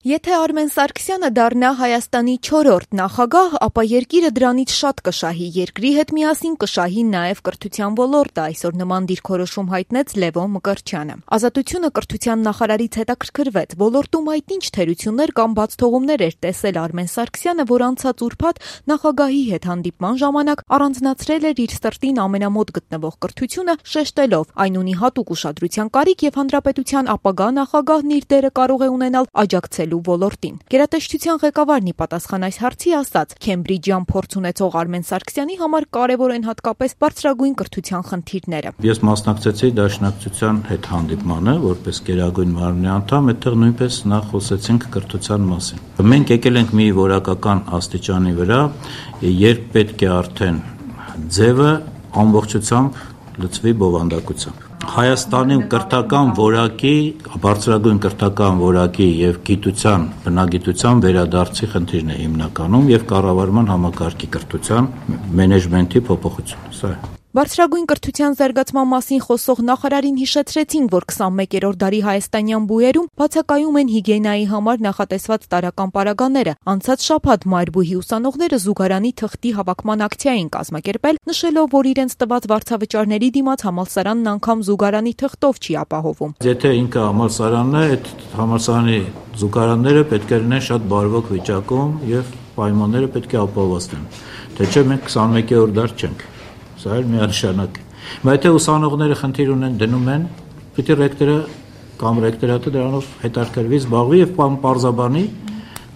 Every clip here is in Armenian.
Եթե Արմեն Սարգսյանը դառնա Հայաստանի 4-րդ նախագահ, ապա երկիրը դրանից շատ կշահի, երկրի հետ միասին կշահի նաև կրթության ոլորտը, այսօր նման դիրքորոշում հայտնեց Լևոն Մկրտչյանը։ Ազատությունը կրթության նախարարից հետաքրքրվեց, ոլորտում այդ ինչ թերություններ կամ բացթողումներ էր տեսել Արմեն Սարգսյանը, որ անցած ուրբաթ նախագահի հետ հանդիպման ժամանակ առանձնացրել էր իր սրտին ամենամոտ գտնվող կրթությունը, շեշտելով այն ունի հատուկ ուշադրության կարիք եւ հանրապետության ապագա նախագահն իր դերը կարող է ունենալ աջակցել ոլորտին։ Գերատեսչության ղեկավարն ի պատասխան այս հարցի ասաց. Քեմբրիջյան փորձ ունեցող Արմեն Սարգսյանի համար կարևոր են հատկապես բարձրագույն կրթության խնդիրները։ Ես մասնակցեցի Դաշնակցության հետ հանդիպմանը, որպես գերագույն մարմնի անդամ, այդտեղ նույնպես նախ խոսեցինք կրթության մասին։ Մենք եկել ենք մի որակական աստիճանի վրա, երբ պետք է արդեն ձևը ամբողջությամբ լծվի բովանդակությամբ։ Հայաստանում կրթական որակի, բարձրագույն կրթական որակի եւ գիտության, բնագիտության վերադարձի խնդիրն է հիմնականում եւ կառավարման համակարգի կրթության մենեջմենթի փոփոխություն։ Սա է։ Բարձրագույն կրթության զարգացման մասին խոսող նախարարին հիշեցրեցին, որ 21-րդ դարի հայաստանյան բուհերում բացակայում են հիգիենայի համար նախատեսված տարրական պարագաները։ Անցած շաբաթ Մայրբույհի ուսանողները զուգարանի թղթի հավաքման ակցիա էին կազմակերպել, նշելով, որ իրենց տված վարձավճարների դիմաց համալսարանն անգամ զուգարանի թղթով չի ապահովում։ Եթե ինքը համալսարանն է, այդ համալսարանի զուգարանները պետք է լինեն շատ բարվոք վիճակում եւ պայմանները պետք է ապահովեն։ Թե չէ մենք 21-րդ դար չենք։ Սա էլ միանշանակ է։ Բայց եթե ուսանողները խնդիր ունեն դնում են, պիտի ռեկտորը կամ ռեկտորատը դրանով հետաքրքրվի, զբաղվի եւ պարզաբանի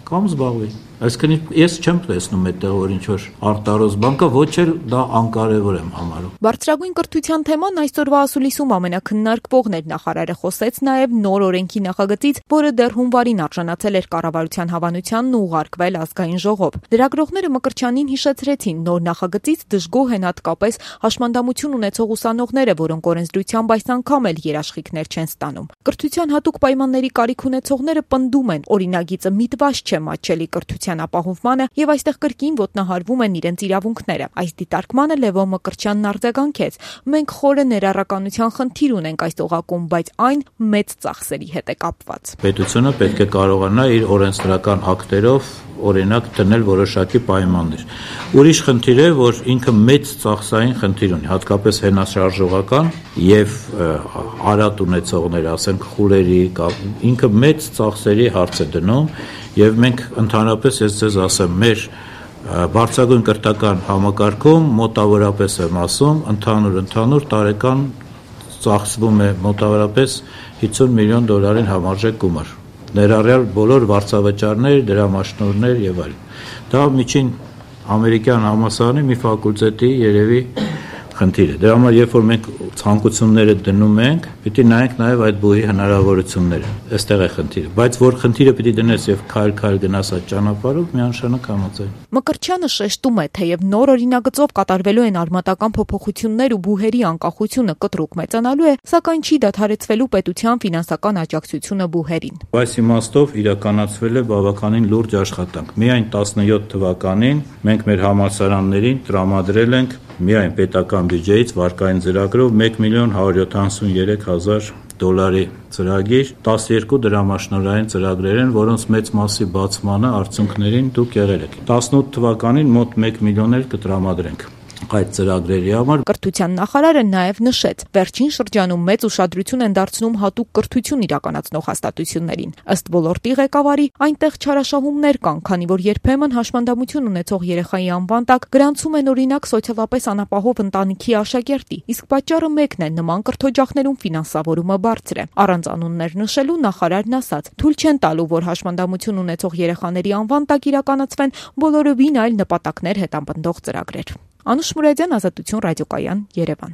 կամ զբաղվի։ Այսինքն ես չեմ տեսնում այդտեղ որ ինչ-որ արտարոց բան կա, ոչ էլ դա անկարևոր եմ համարում։ Բարձրագույն կրթության թեման այսօրվա ասուլիսում ամենաքննարկվողն էր։ Նախարարը խոսեց նաև նոր օրենքի նախագծից, որը դեռ հունվարին արժանացել էր կառավարության հավանությանն ու ուղարկվել ազգային ժողով։ Լրագրողները Մկրտչյանին հիշեցրեցին, նոր նախագծից դժգոհ են հատկապես հաշմանդամություն ունեցող ուսանողները, որոնք օրենսդրությամբ այս անգամ էլ երաշխիքներ չեն ստանում։ Կրթության հատուկ պայմանների կարիք ունեցողները պնդում են, օրինագիծը միտված չէ մատչելի կրթության ապահովմանը եւ այստեղ կրկին ոտնահարվում են իրենց իրավունքները։ Այս դիտարկմանը Լևոն Մկրտչյանն արձագանքեց. մենք խորը ներառականության խնդիր ունենք այս օղակում, բայց այն մեծ ծախսերի հետ է կապված։ Պետությունը պետք է կարողանա իր օրենսդրական ակտերով օրինակ դնել որոշակի պայմաններ։ Ուրիշ խնդիր է, որ ինքը մեծ ծախսային խնդիր ունի, հատկապես հենաշարժողական եւ արատ ունեցողներ, ասենք խուլերի, ինքը մեծ ծախսերի հարց է դնում եւ մենք ընդհանրապես ես ձեզ ասեմ, մեր բարձրագույն կրթական համակարգում մոտավորապես եմ ասում, ընդհանուր տարեկան ծախսվում է մոտավորապես $50 միլիոն համարժեք գումար։ Ներառյալ բոլոր վարձավճարներ, դրամաշնորհներ եւ այլն։ Դա միջին ամերիկյան համալսարանի մի ֆակուլտետի երևի խնդիր է։ Դրա համար երբ որ մենք ցանկությունները դնում ենք, պիտի նայենք նաեւ այդ բուհի հնարավորությունները։ Այստեղ է խնդիրը, բայց որ խնդիրը պիտի դնես եւ քայլ գնաս այդ ճանապարհով, միանշանակ համաձայն։ Մկրտչյանը շեշտում է, թեև նոր օրինագծով կատարվելու են արմատական փոփոխություններ ու բուհերի անկախությունը կտրուկ մեծանալու է, սակայն չի դադարեցվելու պետության ֆինանսական աջակցությունը բուհերին։ Այս իմաստով իրականացվել է բավականին լուրջ աշխատանք։ Միայն 17 թվականին մենք մեր համալսարաններին տրամադրել ենք միայն պետական բյուջեից վարկային ծրագրով $1,173,000 ծրագիր, 12 դրամաշնորհային ծրագրեր են, որոնց մեծ մասի բացմանը արդյունքներին դուք եղել եք։ 18 թվականին մոտ 1 միլիոն էլ կտրամադրենք այդ ծրագրերի համար։ Կրթության նախարարը նաև նշեց, վերջին շրջանում մեծ ուշադրություն են դարձնում հատուկ կրթություն իրականացնող հաստատություններին։ Ըստ ոլորտի ղեկավարի, այնտեղ չարաշահումներ կան, քանի որ երբեմն հաշմանդամություն ունեցող երեխայի անվան տակ գրանցում են օրինակ սոցիալապես անապահով ընտանիքի աշակերտի, իսկ պատճառը մեկն է՝ նման կրթօջախներում ֆինանսավորումը բարձր է։ Առանց անուններ նշելու նախարարն ասաց. թույլ չեն տալու, որ հաշմանդամություն ունեցող երեխաների անվան տակ իրականացվեն բոլորովին այլ նպատակներ հետապնդող ծրագրեր։ Անուշ Մուրադյան, Ազատություն ռադիոկայան, Երևան։